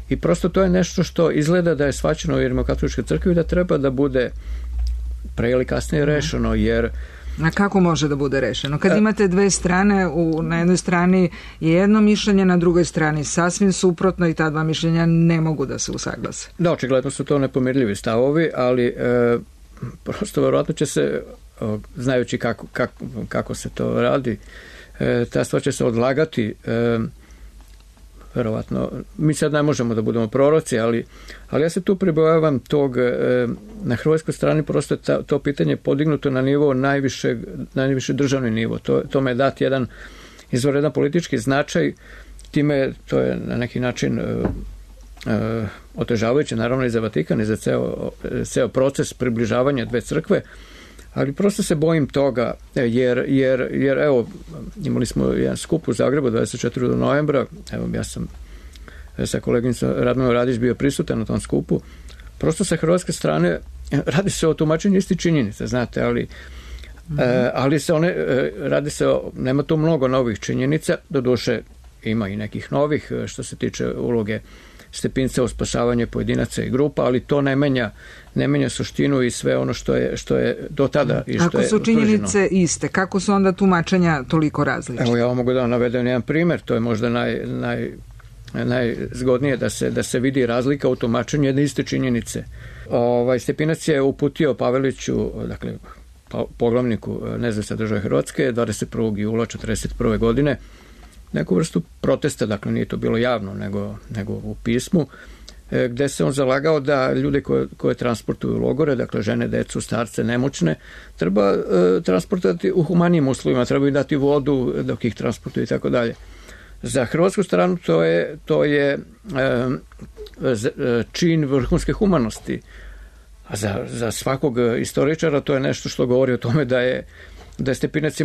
I prosto to je nešto što izgleda da je shvaćeno u Rimokatoličkoj crkvi da treba da bude pre ili kasnije rešeno, jer a kako može da bude rešeno? Kad imate dve strane, na jednoj strani je jedno mišljenje, na drugoj strani sasvim suprotno i ta dva mišljenja ne mogu da se usaglase. Da, očigledno su to nepomirljivi stavovi, ali prosto verovatno će se, znajući kako se to radi, ta stvar će se odlagati. Verovatno, mi sad ne možemo da budemo proroci, ali ja se tu pribojavam tog, na hrvatskoj strani prosto to pitanje podignuto na nivo najviše državni nivo. Tome je dat jedan izvanredan politički značaj, time to je na neki način otežavajuće naravno i za Vatikan i za ceo proces približavanja dve crkve, ali prosto se bojim toga, jer evo, imali smo jedan skup u Zagrebu 24. novembra, evo ja sam sa koleginicom Radmilom Radić bio prisutan na tom skupu, prosto sa hrvatske strane radi se o tumačenju isti činjenice, znate, ali se one, radi se nema tu mnogo novih činjenica, doduše ima i nekih novih što se tiče uloge Stepinca u spasavanje pojedinaca i grupa, ali to ne menja suštinu i sve ono što je do tada i što je utvrđeno. Ako su činjenice iste, kako su onda tumačenja toliko različite? Evo ja vam mogu da vam navedem jedan primjer, to je možda najzgodnije da se vidi razlika u tumačenju jedne iste činjenice. Stepinac je uputio Paveliću, dakle poglavniku Nezavisne države Hrvatske 21. jula 1941. godine neku vrstu protesta, dakle nije to bilo javno nego u pismu, gde se on zalagao da ljude koje transportuju u logore, dakle žene, decu, starce, nemoćne, treba transportovati u humanijim uslovima, treba im dati vodu dok ih transportuju i tako dalje. Za hrvatsku stranu to je čin vrhunske humanosti, a za svakog istoričara to je nešto što govori o tome da je Stepinac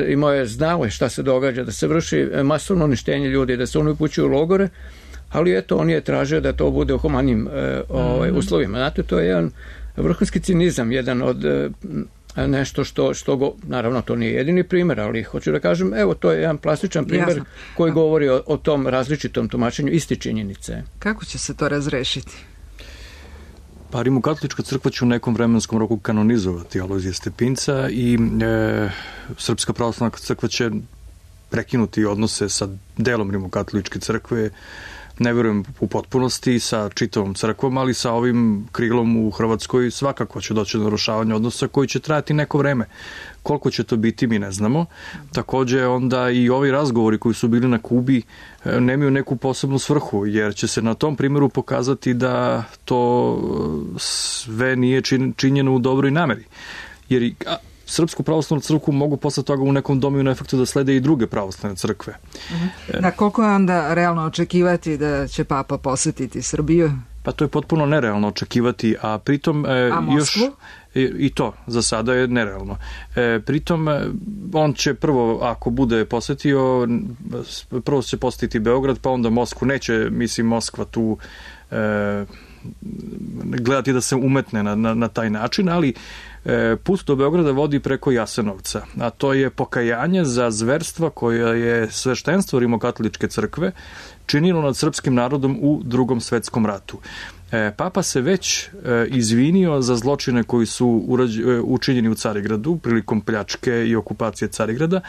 imao je znao šta se događa, da se vrši masovno uništenje ljudi, da se oni upućuju u logore, ali eto, on je tražio da to bude u humanim uslovima. Znate, to je jedan vrhunski cinizam, jedan od nešto što naravno to nije jedini primjer, ali hoću da kažem, evo, to je jedan plastičan primjer koji govori o tom različitom tumačenju iste činjenice. Kako će se to razrešiti? Pa Rimokatolička crkva će u nekom vremenskom roku kanonizovati Alojzija Stepinca i Srpska pravoslavna crkva će prekinuti odnose sa delom Rimokatoličke crkve, ne verujem u potpunosti sa čitavom crkvom, ali sa ovim krilom u Hrvatskoj svakako će doći do narušavanja odnosa koji će trajati neko vreme. Koliko će to biti, mi ne znamo. Takođe, onda i ovi razgovori koji su bili na Kubi nemaju neku posebnu svrhu, jer će se na tom primjeru pokazati da to sve nije činjeno u dobroj nameri. Jer Srpsku pravoslavnu crkvu mogu posle toga u nekom dominu efektu da slede i druge pravoslavne crkve. Da, koliko je onda realno očekivati da će Papa posetiti Srbiju? Pa to je potpuno nerealno očekivati, a pritom Moskvu? Još i to za sada je nerealno. Pritom on će prvo, ako bude posetio, prvo će posetiti Beograd, pa onda Moskvu. Neće, mislim, Moskva tu gledati da se umetne na taj način, ali put do Beograda vodi preko Jasenovca, a to je pokajanje za zverstva koje je sveštenstvo Rimokatoličke crkve činilo nad srpskim narodom u Drugom svetskom ratu. Papa se već izvinio za zločine koji su učinjeni u Carigradu prilikom pljačke i okupacije Carigrada,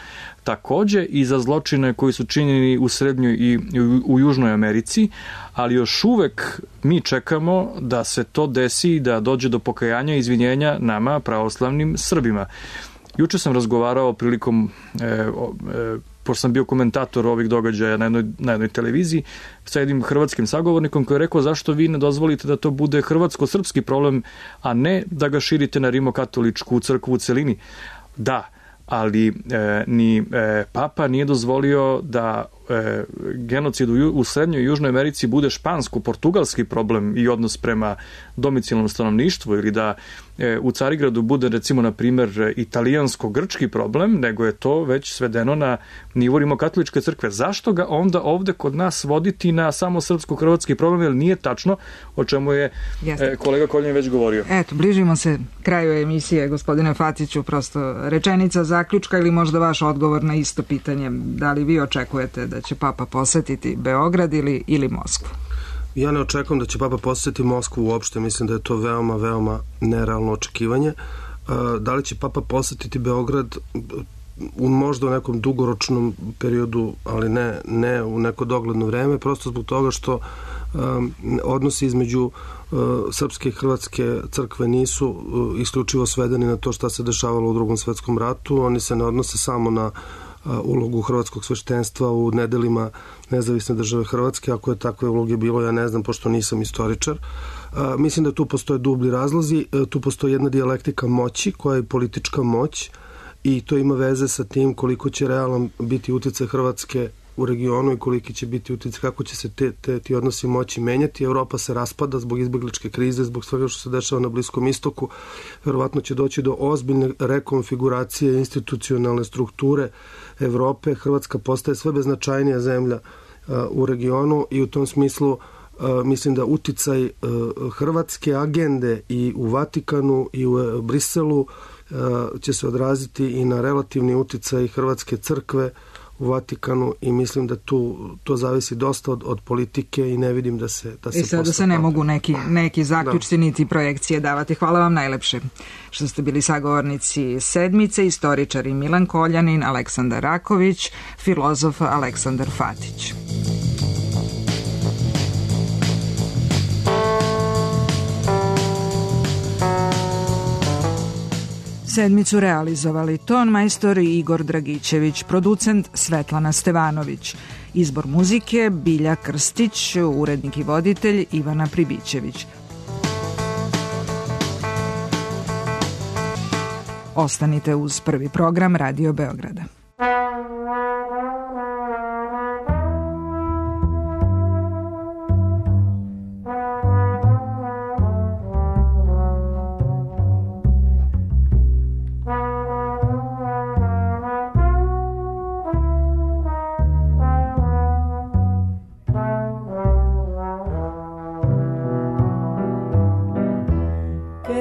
takođe i za zločine koji su činjeni u Srednjoj i u Južnoj Americi, ali još uvek mi čekamo da se to desi i da dođe do pokajanja i izvinjenja nama, pravoslavnim Srbima. Juče sam razgovarao prilikom pošto sam bio komentator ovih događaja na jednoj televiziji, sa jednim hrvatskim sagovornikom koji je rekao zašto vi ne dozvolite da to bude hrvatsko-srpski problem, a ne da ga širite na Rimokatoličku crkvu u celini. Da, ali ni Papa nije dozvolio da genocid u Srednjoj i Južnoj Americi bude špansko-portugalski problem i odnos prema domicilnom stanovništvu ili da u Carigradu bude, recimo, na primjer, italijansko-grčki problem, nego je to već svedeno na nivo Rimokatoličke crkve. Zašto ga onda ovde kod nas voditi na samo srpsko-hrvatski problem, jer nije tačno, o čemu je kolega Koljan već govorio. Eto, bližimo se kraju emisije, gospodine Fatiću, prosto rečenica zaključka ili možda vaš odgovor na isto pitanje. Da li vi očekujete da će Papa posetiti Beograd ili Moskvu? Ja ne očekujem da će Papa posetiti Moskvu uopšte, mislim da je to veoma, veoma nerealno očekivanje. Da li će Papa posetiti Beograd možda u nekom dugoročnom periodu, ali ne u neko dogledno vreme, prosto zbog toga što odnosi između srpske i hrvatske crkve nisu isključivo svedeni na to šta se dešavalo u Drugom svetskom ratu, oni se ne odnose samo na ulogu hrvatskog sveštenstva u nedelima Nezavisne države Hrvatske. Ako je takve uloge bilo, ja ne znam, pošto nisam istoričar. Mislim da tu postoje dublji razlozi, tu postoji jedna dijalektika moći koja je politička moć i to ima veze sa tim koliko će realan biti uticaj Hrvatske u regionu i koliki će biti uticaj, kako će se ti odnosi moći menjati. Evropa se raspada zbog izbegličke krize, zbog svega što se dešava na Bliskom istoku. Verovatno će doći do ozbiljne rekonfiguracije institucionalne strukture Evrope. Hrvatska postaje sve beznačajnija zemlja u regionu i u tom smislu mislim da uticaj hrvatske agende i u Vatikanu i u Briselu će se odraziti i na relativni uticaj Hrvatske crkve u Vatikanu i mislim da to zavisi dosta od politike i ne vidim da se i sada se ne mogu neki zaključci niti projekcije davati. Hvala vam najlepše što ste bili sagovornici sedmice, istoričari Milan Koljanin, Aleksandar Raković, filozof Aleksandar Fatić. Sedmicu realizovali ton majstor Igor Dragićević, producent Svetlana Stevanović, izbor muzike Bilja Krstić, urednik i voditelj Ivana Pribićević. Ostanite uz Prvi program Radio Beograda.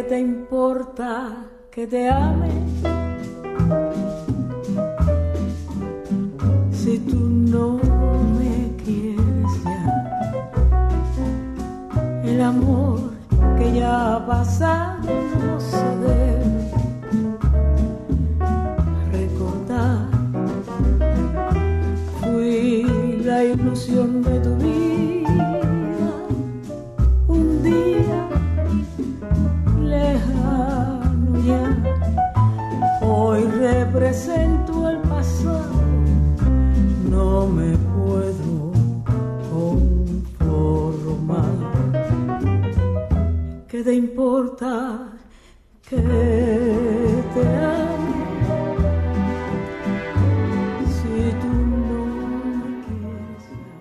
te importa que te ame? Si tú no me quieres ya, el amor que ya ha pasado no se debe recordar. Fui la ilusión de tu vida, un día lejano ya. Hoy represento el pasado, no me puedo conformar. ¿Qué te importa que